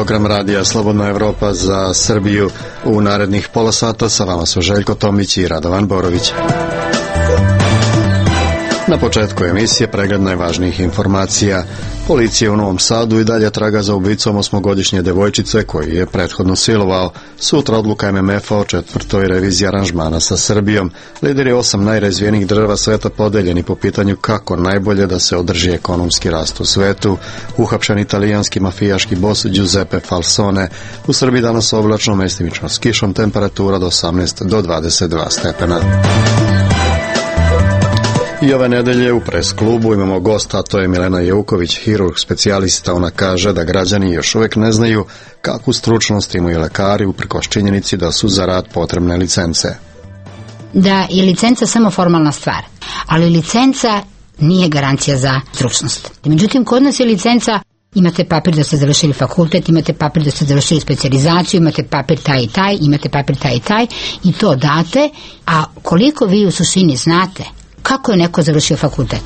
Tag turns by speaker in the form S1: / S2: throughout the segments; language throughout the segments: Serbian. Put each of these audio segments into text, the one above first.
S1: program radija Slobodna Evropa za Srbiju. U narednih pola sata sa vama su Željko Tomić i Radovan Borović. Na početku emisije pregled najvažnijih informacija. Policija u Novom Sadu i dalje traga za ubicom 8-godišnje devojčice koju je prethodno silovao. Sutra odluka MMF-a o 4. reviziji aranžmana sa Srbijom. Lideri 8 najrazvijenijih država sveta podeljeni po pitanju kako najbolje da se održi ekonomski rast u svetu. Uhapšen italijanski mafijaški bos Giuseppe Falsone. U Srbiji danas oblačno, mestimično s kišom, temperatura od 18 do 22 stepena. I ove nedelje u pres klubu imamo gosta, a to je Milena Jeuković, hirurg specijalista. Ona kaže da građani još uvijek ne znaju kakvu stručnost imaju lekari uprkos činjenici da su za rad potrebne licence.
S2: Da je licenca samo formalna stvar, ali licenca nije garancija za stručnost. Međutim, kod nas je licenca, imate papir da ste završili fakultet, imate papir da ste završili specijalizaciju, imate papir taj i taj, imate papir taj i taj i to date, a koliko vi u suštini znate kako je neko završio fakultet?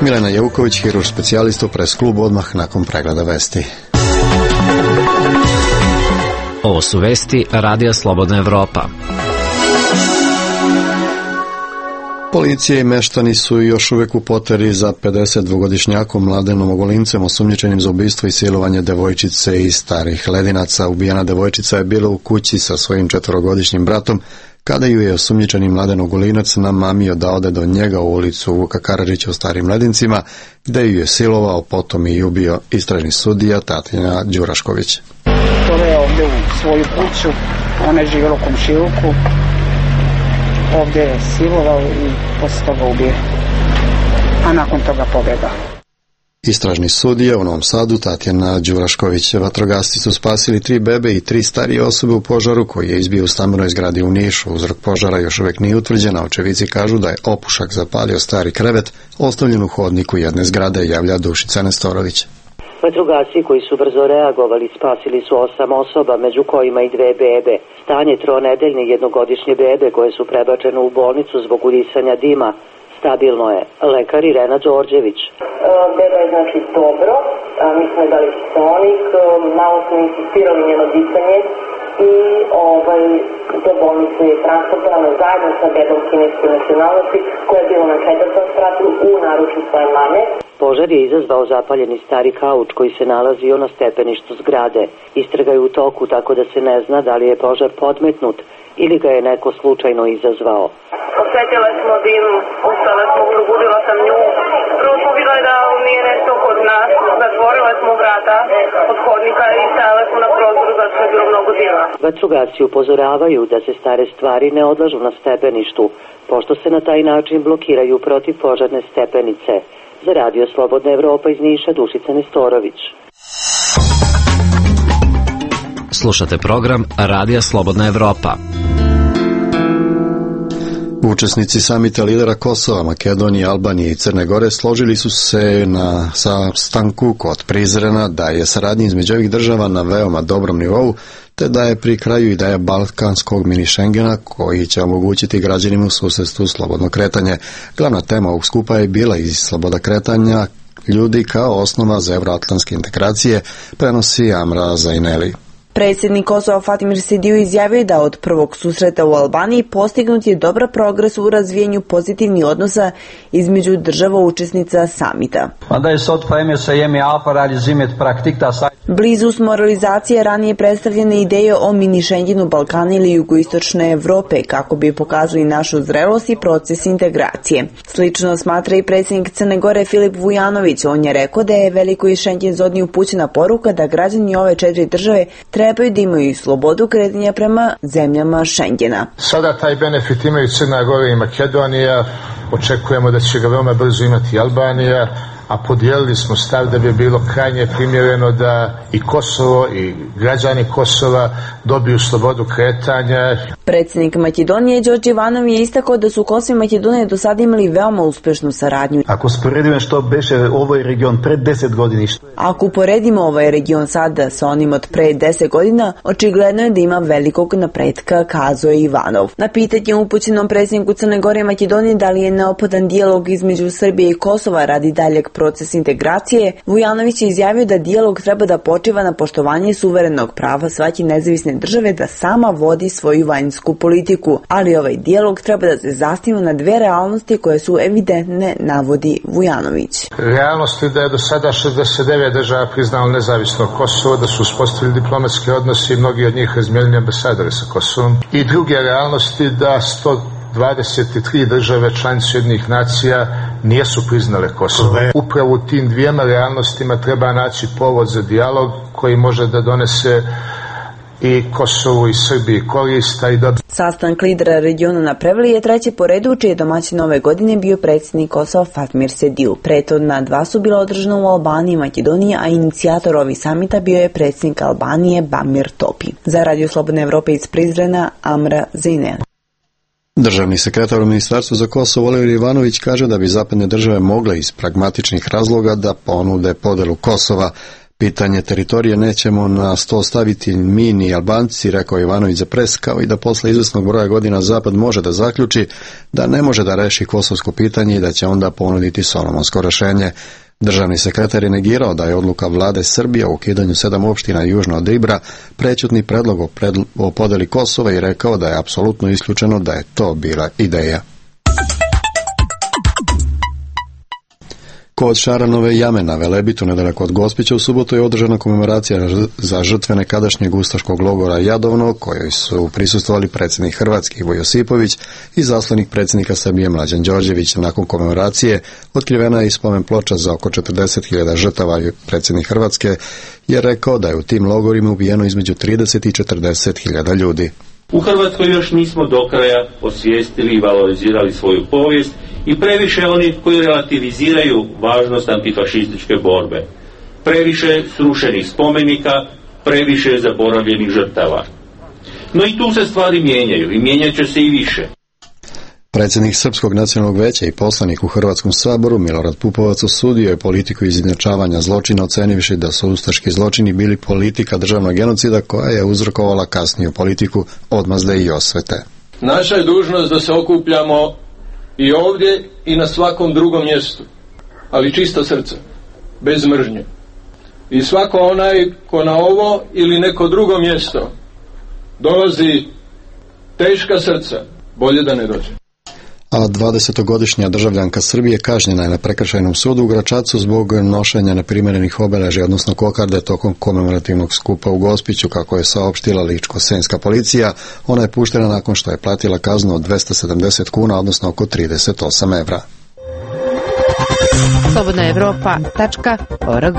S1: Milena Jeuković, hirurg specijalista u pres klubu, odmah nakon pregleda vesti.
S3: Ovo su vesti Radija Slobodna Evropa.
S1: Policija i meštani su još uvijek u poteri za 52-godišnjakom Mladenom Ogolincem osumnjičenim za ubistvo i silovanje devojčice iz Starih Ledinaca. Ubijena devojčica je bila u kući sa svojim 4-godišnjim bratom kada ju je osumnjičeni Mladen Ogolinac namamio da ode do njega u ulicu Vuka Karadžića u Starim Ledincima, gde ju je silovao, potom i ubio. Istražni sudija Tatjana Đurašković.
S4: Doveo je ovdje u svoju kuću, ona je živjela u komšiluku, ovdje je silovao i posle toga ubio, a nakon toga pobjegao.
S1: Istražni sudija u Novom Sadu Tatjana Đurašković. Vatrogasci su spasili 3 bebe i 3 starije osobe u požaru koji je izbio u stambenoj zgradi u Nišu. Uzrok požara još uvijek nije utvrđen, a očevici kažu da je opušak zapalio stari krevet ostavljen u hodniku jedne zgrade, javlja Dušica Nestorović.
S5: Vatrogasci koji su brzo reagovali spasili su 8 osoba, među kojima i 2 bebe. Stanje 3-nedeljne jednogodišnje bebe koje su prebačene u bolnicu zbog udisanja dima stabilno je. Lekar Irena Đorđević.
S6: Beba je znači dobro, mi smo je dali kiseonik, malo smo insistirali njeno disanje i do bolnice je transportovano zajedno sa bebom kineske nacionalnosti koja je bila na 4. spratu u naručju svoje mame.
S5: Požar je izazvao zapaljeni stari kauč koji se nalazio na stepeništu zgrade. Istraga je u toku, tako da se ne zna da li je požar podmetnut ili ga je neko slučajno izazvao.
S6: Osjetila smo dim, ustala smo, probudila sam nju. Prvo smo vidjeli da nije nešto kod nas, zatvorila smo vrata od hodnika i stajala smo na prozoru zato što je bilo mnogo dima.
S5: Vatrogasci upozoravaju da se stare stvari ne odlažu na stepeništu, pošto se na taj način blokiraju protivpožarne stepenice. Za Radio Slobodna Evropa iz Niša, Dušica Nestorović.
S3: Slušate program Radija Slobodna Evropa.
S1: Učesnici samita lidera Kosova, Makedonije, Albanije i Crne Gore složili su se na sastanku kod Prizrena da je saradnja između ovih država na veoma dobrom nivou, te da je pri kraju ideja balkanskog mini Schengena koji će omogućiti građanima u susjedstvu slobodno kretanje. Glavna tema ovog skupa je bila i sloboda kretanja ljudi kao osnova za evroatlantske integracije, prenosi Amra Zaineli.
S7: Predsjednik Kosova Fatimir Sidiju izjavio da od prvog susreta u Albaniji postignut je dobar progres u razvijenju pozitivnih odnosa između država učesnica samita. Blizu smo realizacije ranije predstavljene ideje o mini Schengenu Balkana ili jugoistočne Evrope kako bi pokazali našu zrelost i proces integracije. Slično smatra i predsjednik Crne Gore Filip Vujanović. On je rekao da je velikoj Schengen zoni upućena poruka da građani ove 4 države trebaju da imaju slobodu kretanja prema zemljama Schengena.
S8: Sada taj benefit imaju Crna Gora i Makedonija, očekujemo da će ga veoma brzo imati Albanija, a podijelili smo stav da bi bilo krajnje primjereno da i Kosovo i građani Kosova dobiju slobodu kretanja.
S7: Predsjednik Makedonije Đorđe Ivanov je istakao da su Kosovo i Makedonija do sada imali veoma uspešnu saradnju.
S9: Ako uporedimo što beše ovaj region pred 10 godina.
S7: Ako uporedimo ovaj region sada sa onim od pre 10 godina, očigledno je da ima velikog napretka, kazao je Ivanov. Na pitanje upućenom predsjedniku Crne Gore i Makedonije da li je neophodan dijalog između Srbije i Kosova radi daljeg proces integracije, Vujanović je izjavio da dijalog treba da počiva na poštovanje suverenog prava svake nezavisne države da sama vodi svoju vanjsku politiku, ali ovaj dijalog treba da se zasniva na dve realnosti koje su evidentne, navodi Vujanović.
S8: Realnost je da je do sada 69 država priznalo nezavisno Kosovo, da su uspostavili diplomatske odnose i mnogi od njih razmijenili ambasadore sa Kosovom. I druge realnosti da 123 države članice Ujedinjenih nacija nisu priznale Kosovo. Upravo u tim dvijema realnostima treba naći povod za dijalog koji može da donese i Kosovu i Srbiji korista i da...
S7: Sastanak lidera regiona na Prevlji je treći po redu, čiji je domaćin ove godine bio predsjednik Kosova Fatmir Sediu. Prethodna dva su bila održana u Albaniji i Makedoniji, a inicijator ovih samita bio je predsjednik Albanije Bamir Topi. Za Radio Slobodne Evrope iz Prizrena, Amra Zeynel.
S1: Državni sekretar u Ministarstvu za Kosovo Oliver Ivanović kaže da bi zapadne države mogle iz pragmatičnih razloga da ponude podelu Kosova. Pitanje teritorije nećemo na sto staviti mi ni Albanci, rekao Ivanović za Pres, kao i da posle izvesnog broja godina Zapad može da zaključi da ne može da reši kosovsko pitanje i da će onda ponuditi solomonsko rešenje. Državni sekretar je negirao da je odluka vlade Srbije o ukidanju 7 opština južno od Ibra prećutni predlog o podeli Kosova i rekao da je apsolutno isključeno da je to bila ideja. Kod Šaranove jame na Velebitu, nedaleko od Gospića, u subotu je održana komemoracija za žrtve nekadašnjeg ustaškog logora Jadovno, kojoj su prisustvovali predsjednik Hrvatske Ivo Josipović i zaslanik predsjednika Srbije Mlađan Đorđević. Nakon komemoracije otkrivena je i spomen ploča za oko 40.000 žrtava. Predsjednik Hrvatske je rekao da je u tim logorima ubijeno između 30 i 40.000 ljudi.
S10: U Hrvatskoj još nismo do kraja osvijestili i valorizirali svoju povijest i previše oni koji relativiziraju važnost antifašističke borbe. Previše srušenih spomenika, previše zaboravljenih žrtava. No i tu se stvari mijenjaju i mijenjat će se i više.
S1: Predsjednik Srpskog nacionalnog veća i poslanik u Hrvatskom saboru Milorad Pupovac osudio je politiku izjednačavanja zločina, ocenivši da su ustaški zločini bili politika državnog genocida koja je uzrokovala kasniju politiku odmazde i osvete.
S11: Naša je dužnost da se okupljamo i ovdje i na svakom drugom mjestu, ali čisto srce, bez mržnje. I svako onaj ko na ovo ili neko drugo mjesto dolazi teška srca, bolje da ne dođe.
S1: A 20-godišnja državljanka Srbije kažnjena je na prekršajnom sudu u Gračacu zbog nošenja neprimjerenih obeležja, odnosno kokarde, tokom komemorativnog skupa u Gospiću, kako je saopštila Ličko-senjska policija. Ona je puštena nakon što je platila kaznu od 270 kuna, odnosno oko 38 evra.
S12: slobodnaevropa.org.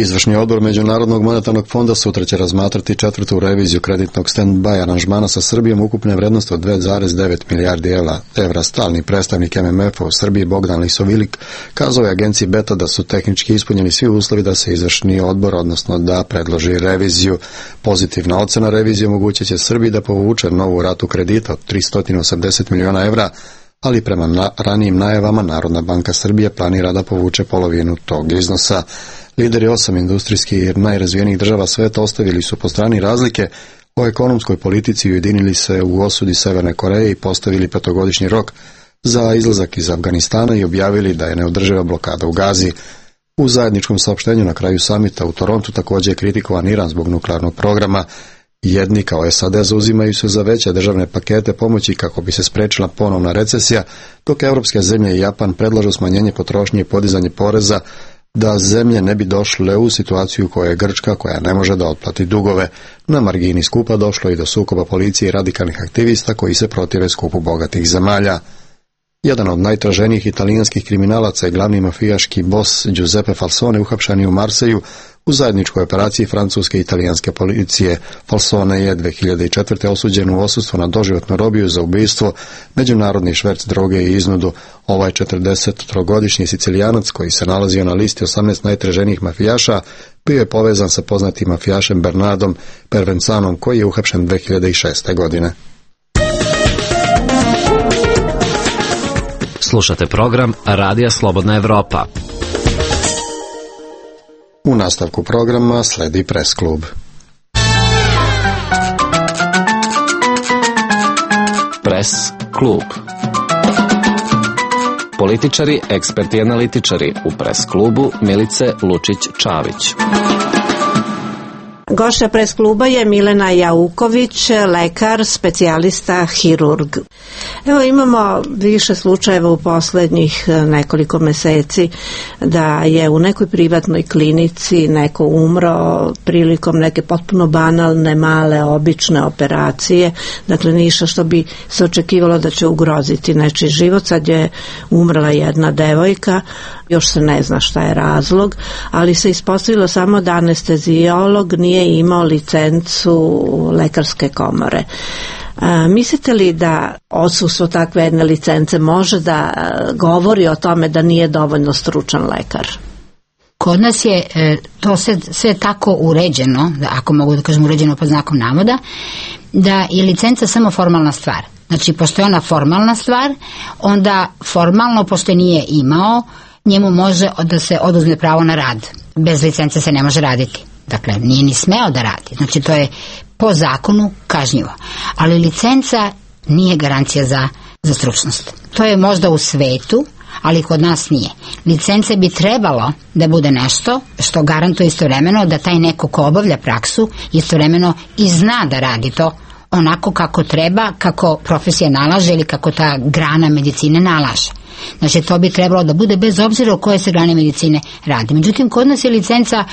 S1: Izvršni odbor Međunarodnog monetarnog fonda sutra će razmatrati 4. reviziju kreditnog stand-by aranžmana sa Srbijom ukupne vrednosti od 2,9 milijardi evra. Stalni predstavnik MMF-a u Srbiji Bogdan Lisovilik kazao je agenciji Beta da su tehnički ispunjeni svi uslovi da se izvršni odbor, odnosno da predloži reviziju. Pozitivna ocena revizije omogućit će Srbiji da povuče novu ratu kredita od 380 miliona evra, ali prema ranijim najavama Narodna banka Srbije planira da povuče polovinu tog iznosa. Lideri 8 industrijskih najrazvijenijih država sveta ostavili su po strani razlike o ekonomskoj politici i ujedinili se u osudi Severne Koreje i postavili 5-godišnji rok za izlazak iz Afganistana i objavili da je neodrživa blokada u Gazi. U zajedničkom saopštenju na kraju samita u Torontu također je kritikovan Iran zbog nuklearnog programa. Jedni kao SAD zauzimaju se za veće državne pakete pomoći kako bi se sprečila ponovna recesija, dok evropske zemlje i Japan predlažu smanjenje potrošnje i podizanje poreza da zemlje ne bi došle u situaciju koja je Grčka, koja ne može da otplati dugove. Na margini skupa došlo i do sukoba policije i radikalnih aktivista koji se protive skupu bogatih zemalja. Jedan od najtraženijih italijanskih kriminalaca i glavni mafijaški bos Giuseppe Falsone uhapšen je u Marseju u zajedničkoj operaciji francuske i italijanske policije. Falsone je 2004. osuđen u odsustvu na doživotnu robiju za ubistvo, međunarodni šverc droge i iznudu. Ovaj 43-godišnji Sicilijanac koji se nalazio na listi 18 najtraženijih mafijaša bio je povezan sa poznatim mafijašem Bernardom Pervencanom koji je uhapšen 2006. godine.
S3: Slušate program Radija Slobodna Evropa.
S1: U nastavku programa sledi Press klub.
S3: Press klub. Političari, eksperti i analitičari u Pres klubu Milice Lučić-Čavić.
S12: Gošća Pres kluba je Milena Jauković, lekar, specijalista, hirurg. Evo, imamo više slučajeva u poslednjih nekoliko meseci da je u nekoj privatnoj klinici neko umro prilikom neke potpuno banalne, male, obične operacije. Dakle, ništa što bi se očekivalo da će ugroziti nečiji život. Sad je umrla jedna devojka, još se ne zna šta je razlog, ali se ispostavilo samo da anestezijolog nije imao licencu lekarske komore. Mislite li da odsustvo takve jedne licence može da govori o tome da nije dovoljno stručan lekar?
S2: Kod nas je to sve tako uređeno, ako mogu da kažem uređeno pod znakom navoda, da je licenca samo formalna stvar. Znači, pošto je ona formalna stvar, onda formalno, pošto nije imao, njemu može da se oduzme pravo na rad. Bez licence se ne može raditi. Dakle, nije ni smeo da radi. Znači, to je po zakonu kažnjivo. Ali licenca nije garancija za stručnost. To je možda u svetu, ali kod nas nije. Licence bi trebalo da bude nešto što garantuje istovremeno da taj neko ko obavlja praksu istovremeno i zna da radi to onako kako treba, kako profesija nalaže ili kako ta grana medicine nalaže. Znači, to bi trebalo da bude bez obzira o koje se grane medicine radi. Međutim, kod nas je licenca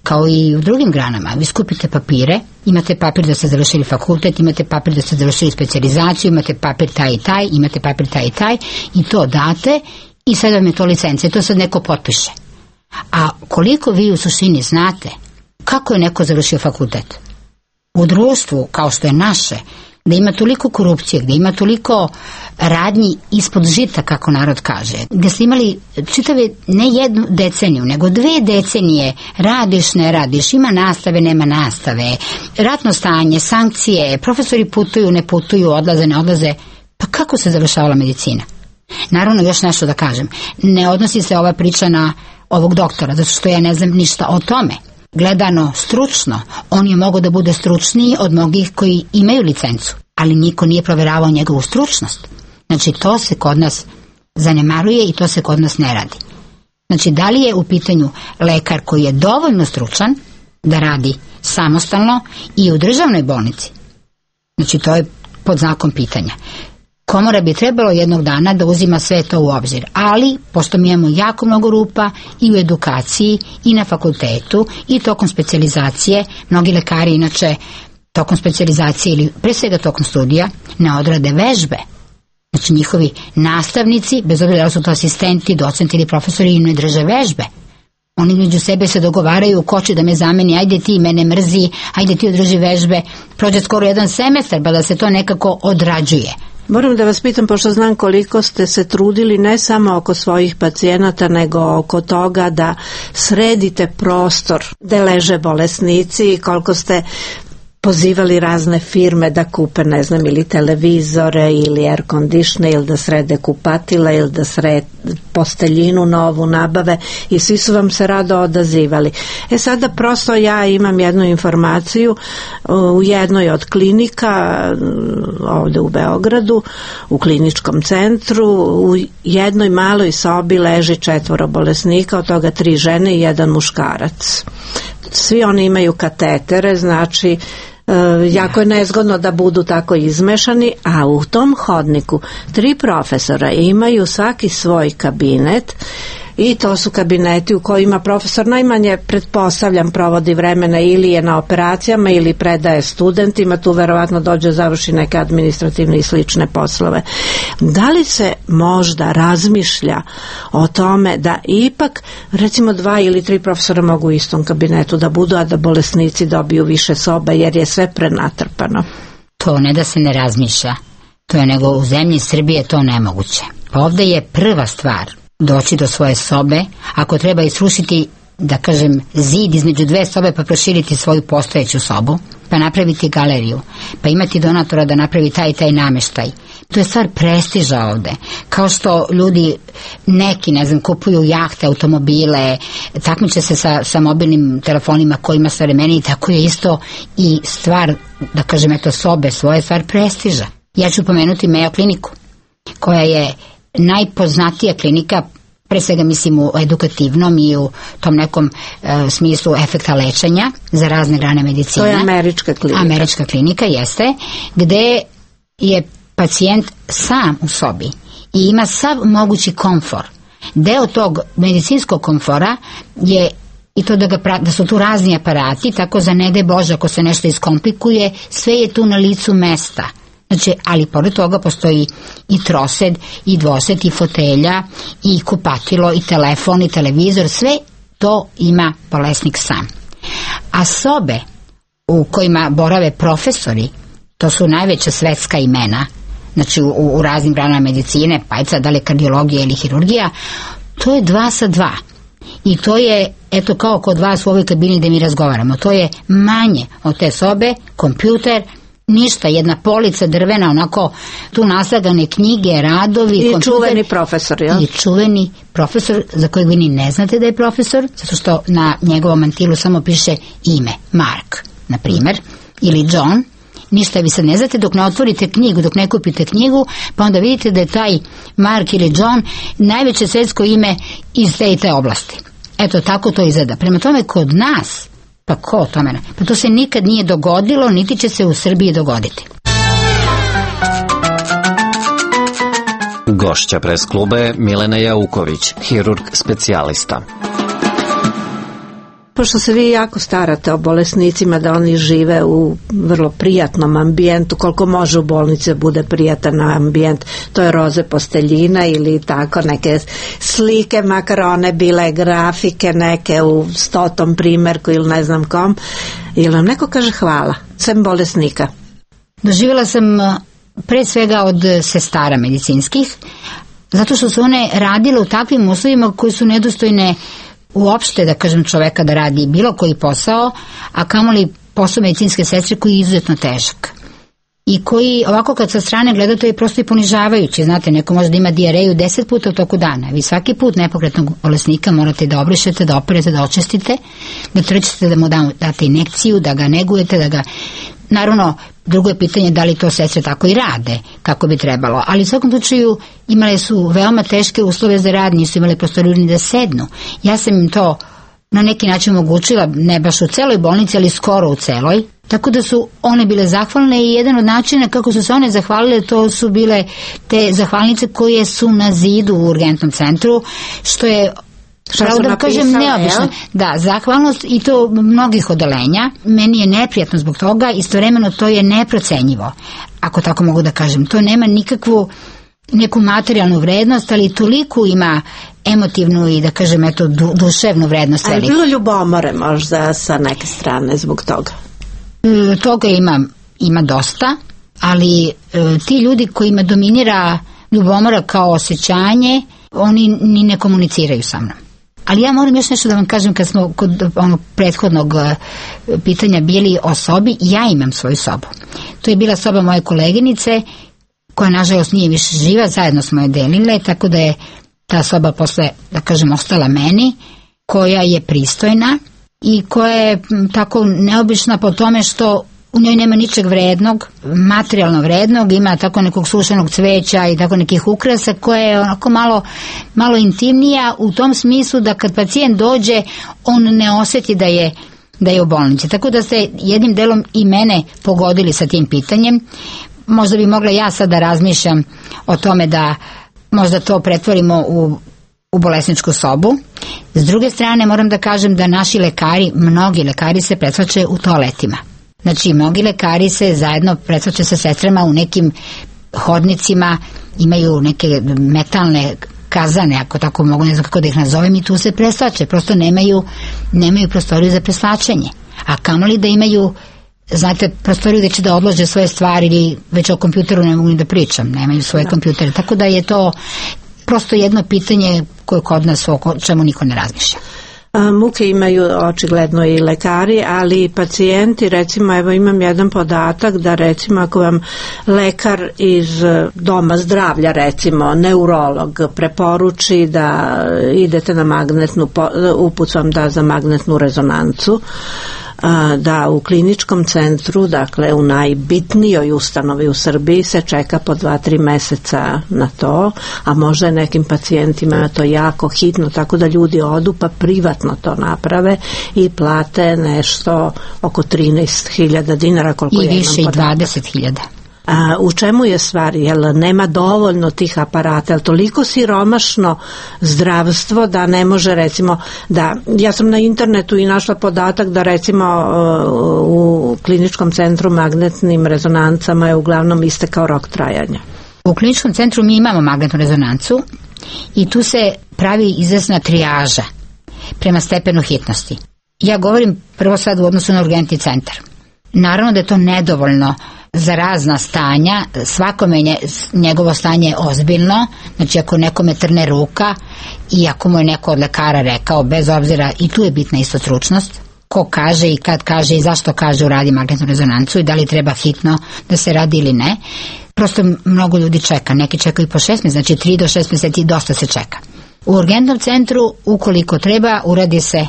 S2: kao i u drugim granama. Vi skupite papire, imate papir da ste završili fakultet, imate papir da ste završili specijalizaciju, imate papir taj i taj, imate papir taj i taj i to date i sad vam je to licenca i to sad neko potpiše. A koliko vi u suštini znate kako je neko završio fakultet? U društvu kao što je naše, da ima toliko korupcije, gde ima toliko radnji ispod žita, kako narod kaže, gde ste imali čitave ne jednu deceniju, nego 2 decenije, radiš, ne radiš, ima nastave, nema nastave, ratno stanje, sankcije, profesori putuju, ne putuju, odlaze, ne odlaze. Pa kako se završavala medicina? Naravno, još nešto da kažem, ne odnosi se ova priča na ovog doktora, zato što ja ne znam ništa o tome. Gledano stručno, on je mogao da bude stručniji od mnogih koji imaju licencu, ali niko nije proveravao njegovu stručnost. Znači, to se kod nas zanemaruje i to se kod nas ne radi. Znači, da li je u pitanju lekar koji je dovoljno stručan da radi samostalno i u državnoj bolnici? Znači, to je pod znakom pitanja. Komora bi trebalo jednog dana da uzima sve to u obzir, ali pošto mi imamo jako mnogo rupa i u edukaciji i na fakultetu i tokom specijalizacije, mnogi lekari inače tokom specijalizacije ili pre svega tokom studija ne odrade vežbe. Znači, njihovi nastavnici, bez obzira da su to asistenti, docenti ili profesori, im ne drže vežbe. Oni među sebe se dogovaraju, ko će da me zameni, ajde ti, mene mrzi, ajde ti održi vežbe. Prođe skoro 1 semestar pa da se to nekako odrađuje.
S12: Moram da vas pitam, pošto znam koliko ste se trudili ne samo oko svojih pacijenata, nego oko toga da sredite prostor gde leže bolesnici i koliko ste pozivali razne firme da kupe, ne znam, ili televizore ili air conditioner ili da srede kupatila ili da srede posteljinu novu nabave i svi su vam se rado odazivali. Sada prosto ja imam jednu informaciju u jednoj od klinika ovde u Beogradu, u kliničkom centru, u jednoj maloj sobi leži 4 bolesnika, od toga 3 žene i 1 muškarac. Svi oni imaju katetere, znači jako je nezgodno da budu tako izmešani, a u tom hodniku 3 profesora imaju svaki svoj kabinet i to su kabineti u kojima profesor najmanje, pretpostavljam, provodi vremena ili je na operacijama ili predaje studentima, tu verovatno dođe završi neke administrativne i slične poslove. Da li se možda razmišlja o tome da ipak recimo 2 ili 3 profesora mogu u istom kabinetu da budu, a da bolesnici dobiju više soba jer je sve prenatrpano?
S2: To ne da se ne razmišlja, to je nego u zemlji Srbije to nemoguće. Ovde je prva stvar doći do svoje sobe, ako treba isrušiti, da kažem, zid između 2 sobe pa proširiti svoju postojeću sobu, pa napraviti galeriju, pa imati donatora da napravi taj i taj nameštaj. To je stvar prestiža ovde. Kao što ljudi neki, ne znam, kupuju jahte, automobile, takmiče se sa mobilnim telefonima kojima savremeniji, tako je isto i stvar, da kažem, eto, sobe svoje, stvar prestiža. Ja ću pomenuti Mayo kliniku, koja je najpoznatija klinika, pre svega mislim u edukativnom i u tom nekom smislu efekta lečenja za razne grane medicine.
S12: To je američka klinika.
S2: Američka klinika, jeste, gde je pacijent sam u sobi i ima sav mogući komfor. Deo tog medicinskog komfora je i to da su tu razni aparati, tako za ne daj Bože ako se nešto iskomplikuje, sve je tu na licu mesta. Znači, ali pored toga postoji i trosed, i dvosed, i fotelja, i kupatilo, i telefon, i televizor, sve to ima bolesnik sam. A sobe u kojima borave profesori, to su najveća svetska imena, znači u raznim granama medicine, pa da li kardiologija ili hirurgija, to je 2 sa 2. I to je, eto kao kod vas u ovoj kabini gde mi razgovaramo, to je manje od te sobe, kompjuter, ništa, jedna polica drvena, onako tu naslagane knjige, radovi,
S12: i
S2: kompjuter,
S12: čuveni profesor, jel?
S2: I čuveni profesor za kojeg vi ni ne znate da je profesor, zato što na njegovom mantilu samo piše ime, Mark, na primer, ili John. Ništa vi sad ne znate dok ne otvorite knjigu, dok ne kupite knjigu, pa onda vidite da je taj Mark ili John najveće svetsko ime iz te i te oblasti. Eto, tako to izgleda. Prema tome, kod nas, pa ko to mene? Pa to se nikad nije dogodilo, niti će se u Srbiji dogoditi.
S3: Gošća pres kluba je Milena Jauković, hirurg specijalista.
S12: Pošto se vi jako starate o bolesnicima da oni žive u vrlo prijatnom ambijentu, koliko može u bolnici bude prijatan ambijent, to je roze posteljina ili tako neke slike, makar one bile grafike neke u 100. primjerku ili ne znam kom, ili nam neko kaže hvala, sem bolesnika?
S2: Doživjela sam pre svega od sestara medicinskih, zato što su one radile u takvim uslovima koji su nedostojne uopšte, da kažem, čoveka da radi bilo koji posao, a kamoli posao medicinske sestre koji je izuzetno težak. I koji, ovako kad sa strane gleda, to je prosto i ponižavajuće. Znate, neko može da ima dijareju 10 puta u toku dana. Vi svaki put nepokretnog bolesnika morate da obrišete, da operete, da očistite, da trčite, da mu date injekciju, da ga negujete, da ga... Naravno, drugo je pitanje da li to sestre tako i rade, kako bi trebalo. Ali u svakom slučaju imale su veoma teške uslove za rad, nisu imali prostoriju ni da sednu. Ja sam im to na neki način omogućila, ne baš u celoj bolnici, ali skoro u celoj. Tako da su one bile zahvalne i jedan od načina kako su se one zahvalile, to su bile te zahvalnice koje su na zidu u urgentnom centru, što je... Pravo da kažem neobično. Da, zahvalnost i to mnogih odeljenja. Meni je neprijatno zbog toga, istovremeno to je neprocenjivo, ako tako mogu da kažem. To nema nikakvu neku materijalnu vrednost, ali toliko ima emotivnu i da kažem eto duševnu vrednost.
S12: A je bilo ljubomore možda sa neke strane zbog toga?
S2: Toga ima dosta, ali ti ljudi kojima dominira ljubomora kao osjećanje, oni ni ne komuniciraju sa mnom. Ali ja moram još nešto da vam kažem, kad smo kod onog prethodnog pitanja bili o sobi, ja imam svoju sobu. To je bila soba moje koleginice, koja nažalost nije više živa, zajedno smo je delile, tako da je ta soba posle, da kažem, ostala meni, koja je pristojna i koja je tako neobična po tome što u njoj nema ničeg vrednog, materijalno vrednog, ima tako nekog sušenog cveća i tako nekih ukrasa koja je onako malo intimnija u tom smislu da kad pacijent dođe on ne osjeti da je u bolnici. Tako da ste jednim delom i mene pogodili sa tim pitanjem. Možda bi mogla ja sad da razmišljam o tome da možda to pretvorimo u bolesničku sobu. S druge strane moram da kažem da naši lekari, mnogi lekari se pretvačaju u toaletima. Znači, mnogi lekari se zajedno pretvače sa sestrama u nekim hodnicima, imaju neke metalne kazane, ako tako mogu, ne znam kako da ih nazovem, i tu se presvače. Prosto nemaju prostoriju za presvačanje. A kamoli da imaju, znate, prostoriju gde će da odlože svoje stvari, ili već o kompjuteru ne mogu ni da pričam, nemaju svoje kompjutere. Tako da je to prosto jedno pitanje koje kod nas o čemu niko ne razmišlja.
S12: Muke imaju očigledno i lekari, ali i pacijenti. Recimo, evo imam jedan podatak da recimo ako vam lekar iz doma zdravlja, recimo neurolog, preporuči da idete na magnetnu, uput vam da za magnetnu rezonancu, da u kliničkom centru, dakle u najbitnijoj ustanovi u Srbiji se čeka po 2-3 meseca na to, a možda je nekim pacijentima to jako hitno, tako da ljudi odu pa privatno to naprave i plate nešto oko 13.000 dinara koliko
S2: i više i 20.000.
S12: U čemu je stvar? Jel nema dovoljno tih aparata? Jel toliko siromašno zdravstvo da ne može, recimo, da ja sam na internetu i našla podatak da recimo u kliničkom centru magnetnim rezonancama je uglavnom istekao rok trajanja.
S2: U kliničkom centru mi imamo magnetnu rezonancu i tu se pravi izvesna trijaža prema stepenu hitnosti. Ja govorim prvo sad u odnosu na urgentni centar. Naravno da je to nedovoljno za razna stanja, svakome njegovo stanje je ozbiljno, znači ako nekome trne ruka i ako mu je neko od lekara rekao, bez obzira, i tu je bitna isto stručnost, ko kaže i kad kaže i zašto kaže uradi magnetnu rezonancu i da li treba hitno da se radi ili ne. Prosto mnogo ljudi čeka, neki čekaju po 6 mjeseci, znači 3 do 6 mjeseci dosta se čeka. U urgentnom centru, ukoliko treba, uradi se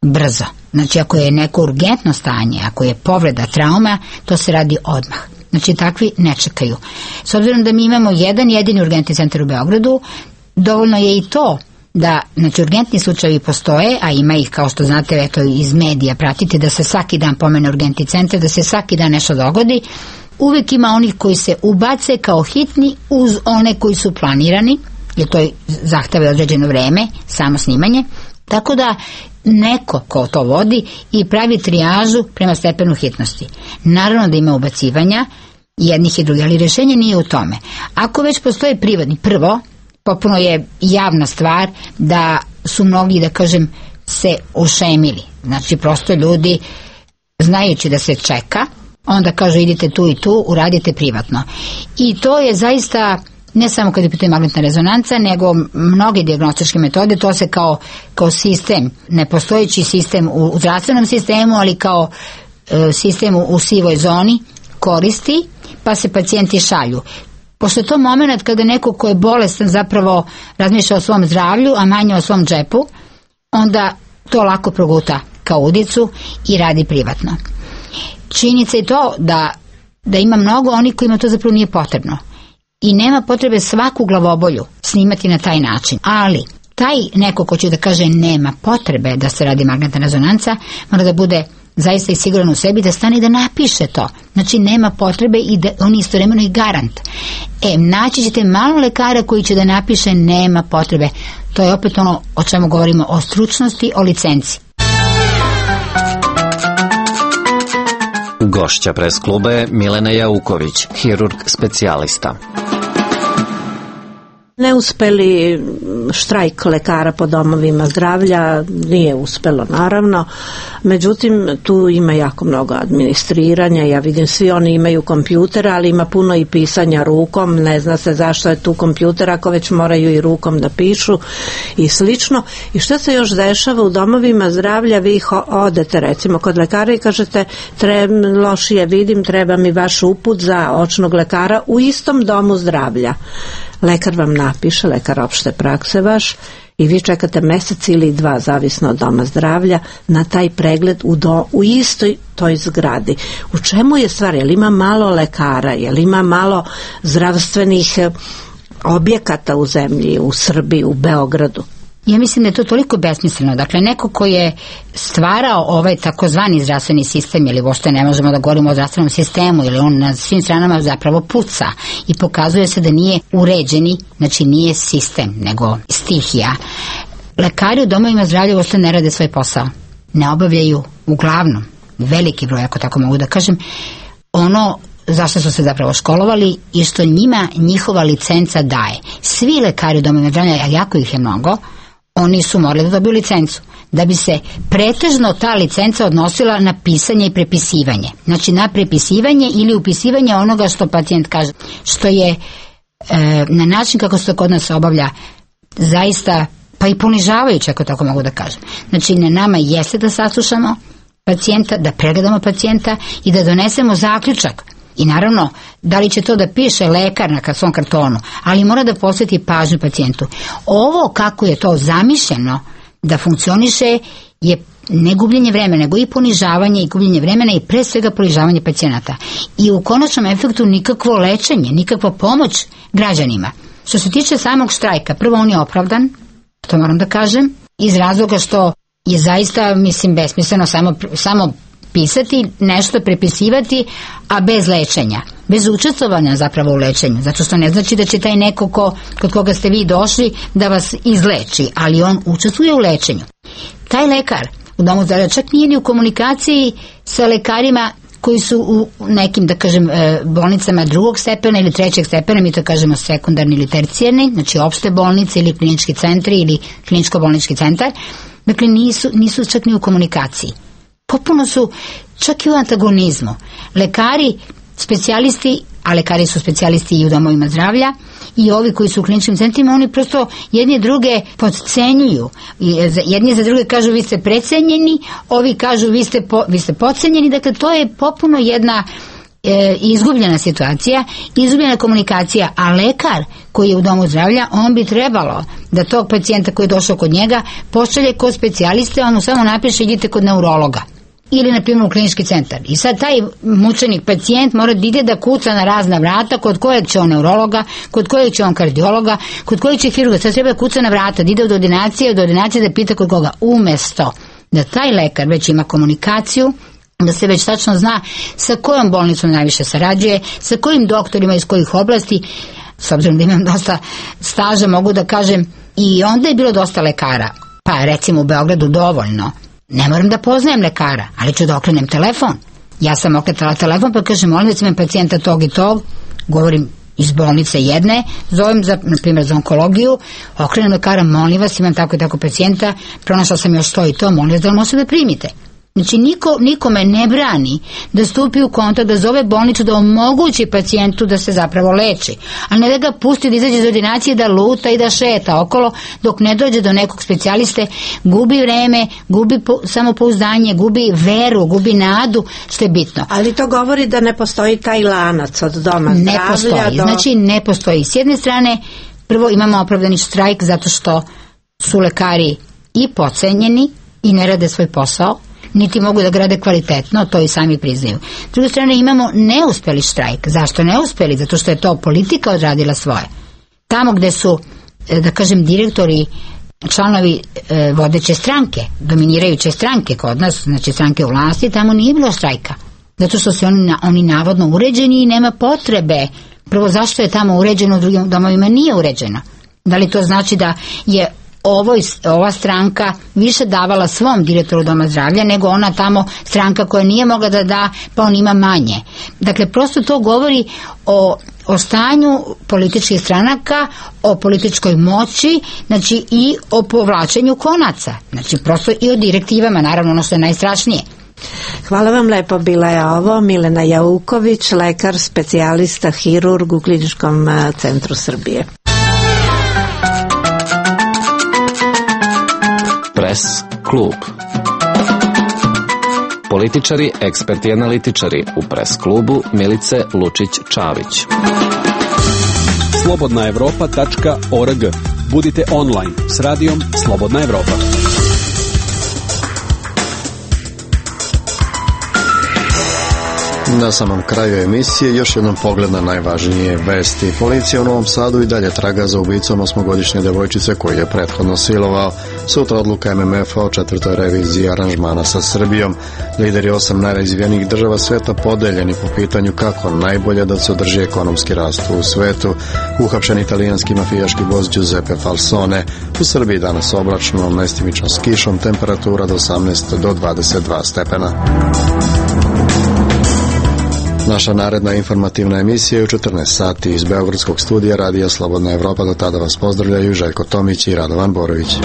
S2: brzo. Znači ako je neko urgentno stanje, ako je povreda, trauma, to se radi odmah. Znači takvi ne čekaju. S obzirom da mi imamo jedan jedini urgentni centar u Beogradu, dovoljno je i to da, znači, urgentni slučajevi postoje, a ima ih, kao što znate, eto, iz medija pratite, da se svaki dan pomene urgentni centar, da se svaki dan nešto dogodi. Uvek ima onih koji se ubace kao hitni uz one koji su planirani, jer to zahteva određeno vreme, samo snimanje. Tako da neko ko to vodi i pravi trijažu prema stepenu hitnosti. Naravno da ima ubacivanja jednih i drugih, ali rješenje nije u tome. Ako već postoje privatni, prvo, popuno je javna stvar da su mnogi, da kažem, se ošemili. Znači prosto ljudi, znajući da se čeka, onda kažu idite tu i tu, uradite privatno. I to je zaista, ne samo kad je pitanje magnetna rezonanca, nego mnoge dijagnostičke metode, to se kao sistem, nepostojeći sistem u zdravstvenom sistemu, ali kao sistem u sivoj zoni koristi, pa se pacijenti šalju. Pošto je to moment kada neko ko je bolestan zapravo razmišlja o svom zdravlju, a manje o svom džepu, onda to lako proguta kao udicu i radi privatno. Činjenica je to da ima mnogo onih kojima to zapravo nije potrebno. I nema potrebe svaku glavobolju snimati na taj način. Ali taj neko ko će da kaže nema potrebe da se radi magnetna rezonanca, mora da bude zaista i siguran u sebi, da stane i da napiše to. Znači nema potrebe i da on istovremeno i garant. Naći ćete malo lekara koji će da napiše nema potrebe. To je opet ono o čemu govorimo, o stručnosti, o licenci.
S3: Gošća Pres kluba je Milena Jauković, hirurg specijalista.
S12: Neuspeli štrajk lekara po domovima zdravlja, nije uspelo naravno, međutim tu ima jako mnogo administriranja, ja vidim svi oni imaju kompjuter, ali ima puno i pisanja rukom, ne zna se zašto je tu kompjuter ako već moraju i rukom da pišu i slično. I što se još dešava u domovima zdravlja? Vi odete recimo kod lekara i kažete lošije vidim, treba mi vaš uput za očnog lekara u istom domu zdravlja. Lekar vam napiše, lekar opšte prakse vaš, i vi čekate mesec ili 2, zavisno od doma zdravlja, na taj pregled u istoj toj zgradi. U čemu je stvar? Jel ima malo lekara? Jel ima malo zdravstvenih objekata u zemlji, u Srbiji, u Beogradu?
S2: Ja mislim da je to toliko besmisleno. Dakle, neko ko je stvarao ovaj takozvani zdravstveni sistem, ili uopšte ne možemo da govorimo o zdravstvenom sistemu, ili on na svim stranama zapravo puca i pokazuje se da nije uređeni, znači nije sistem, nego stihija. Lekari u domovima zdravlja uopšte ne rade svoj posao. Ne obavljaju uglavnom, veliki broj, ako tako mogu da kažem, ono zašto su se zapravo školovali i što njima njihova licenca daje. Svi lekari u domovima zdravlja, a jako ih je mnogo, oni su morali da dobiju licencu, da bi se pretežno ta licenca odnosila na pisanje i prepisivanje. Znači na prepisivanje ili upisivanje onoga što pacijent kaže, što je na način kako se to kod nas obavlja zaista pa i ponižavajuće, ako tako mogu da kažem. Znači na nama jeste da saslušamo pacijenta, da pregledamo pacijenta i da donesemo zaključak. I naravno, da li će to da piše lekar na svom kartonu, ali mora da posveti pažnju pacijentu. Ovo kako je to zamišljeno da funkcioniše je ne gubljenje vremena, nego i ponižavanje i gubljenje vremena i pre svega ponižavanje pacijenata. I u konačnom efektu nikakvo lečenje, nikakva pomoć građanima. Što se tiče samog štrajka, prvo on je opravdan, to moram da kažem, iz razloga što je zaista, mislim, besmisleno samo pisati, nešto prepisivati, a bez lečenja, bez učestvovanja zapravo u lečenju, zato što ne znači da će taj neko kod koga ste vi došli da vas izleči, ali on učestvuje u lečenju. Taj lekar u domu zdravlja čak nije ni u komunikaciji sa lekarima koji su u nekim, da kažem, bolnicama drugog stepena ili trećeg stepena, mi to kažemo sekundarni ili tercijarni, znači opšte bolnice ili klinički centri ili kliničko-bolnički centar. Dakle, nisu čak ni u komunikaciji. Potpuno su čak i u antagonizmu. Lekari, specijalisti, a lekari su specijalisti i u domovima zdravlja, i ovi koji su u kliničkim centrima, oni prosto jedni druge podcenjuju. Jedni za druge kažu vi ste precenjeni, ovi kažu vi ste podcenjeni. Dakle, to je potpuno jedna izgubljena situacija, izgubljena komunikacija, a lekar koji je u domu zdravlja, on bi trebalo da tog pacijenta koji je došao kod njega pošalje kod specijaliste, on mu samo napiše idite kod neurologa ili na primjer u klinički centar. I sad taj mučenik pacijent mora da ide da kuca na razna vrata, kod kojeg će on neurologa, kod kojeg će on kardiologa, kod kojeg će hirurga. Sad treba kuca na vrata, da ide od ordinacije da pita kod koga, umesto da taj lekar već ima komunikaciju, da se već tačno zna sa kojom bolnicom najviše sarađuje, sa kojim doktorima iz kojih oblasti. S obzirom da imam dosta staža, mogu da kažem, i onda je bilo dosta lekara, pa recimo u Beogradu dovoljno, ne moram da poznajem lekara, ali ću da okrenem telefon. Ja sam okretala telefon pa kažem, molim da imam pacijenta tog i tog, govorim iz bolnice jedne, zovem na primjer za onkologiju, okrenem lekara, molim vas, imam tako i tako pacijenta, pronašla sam još to i to, molim vas da li možete da primite. Znači nikome ne brani da stupi u kontakt, da zove bolnicu, da omogući pacijentu da se zapravo leči, ali ne da ga pusti da izađe iz ordinacije, da luta i da šeta okolo dok ne dođe do nekog specijaliste, gubi vreme, gubi samopouzdanje, gubi veru, gubi nadu, što je bitno.
S12: Ali to govori da ne postoji taj lanac od doma zdravlja.
S2: Ne postoji, znači ne postoji. S jedne strane, prvo imamo opravdani štrajk zato što su lekari i podcenjeni i ne rade svoj posao, niti mogu da ga rade kvalitetno, to i sami priznaju. S druge strane imamo neuspeli štrajk. Zašto neuspeli? Zato što je to politika odradila svoje. Tamo gde su, da kažem, direktori, članovi vodeće stranke, dominirajuće stranke kod nas, znači stranke u vlasti, tamo nije bilo štrajka. Zato što su oni navodno uređeni i nema potrebe. Prvo, zašto je tamo uređeno, u drugim domovima nije uređeno? Da li to znači da je ova stranka više davala svom direktoru doma zdravlja nego ona tamo stranka koja nije mogla da da, pa on ima manje? Dakle, prosto to govori o stanju političkih stranaka, o političkoj moći, znači i o povlačenju konaca, znači prosto i o direktivama, naravno ono što je najstrašnije.
S12: Hvala vam lepo, bila je ovo Milena Jauković, lekar, specijalista, hirurg u Kliničkom centru Srbije.
S3: Press klub. Političari, eksperti i analitičari u Press klubu Milice Lučić-Čavić.
S13: slobodnaevropa.org. Budite online s radijom Slobodna Evropa.
S1: Na samom kraju emisije još jednom pogled na najvažnije vesti. Policija u Novom Sadu i dalje traga za ubicom 8-godišnje devojčice koju je prethodno silovao. Sutra odluka MMF-a o 4. reviziji aranžmana sa Srbijom. Lideri 8 najrazvijenijih država sveta podeljeni po pitanju kako najbolje da se održi ekonomski rast u svetu. Uhapšen italijanski mafijaški boss Giuseppe Falsone. U Srbiji danas oblačno, mestimično s kišom, temperatura do 18 do 22 stepena. Naša naredna informativna emisija je u 14 sati iz Beogradskog studija Radija Slobodna Evropa. Do tada vas pozdravljaju Željko Tomić i Radovan Borović.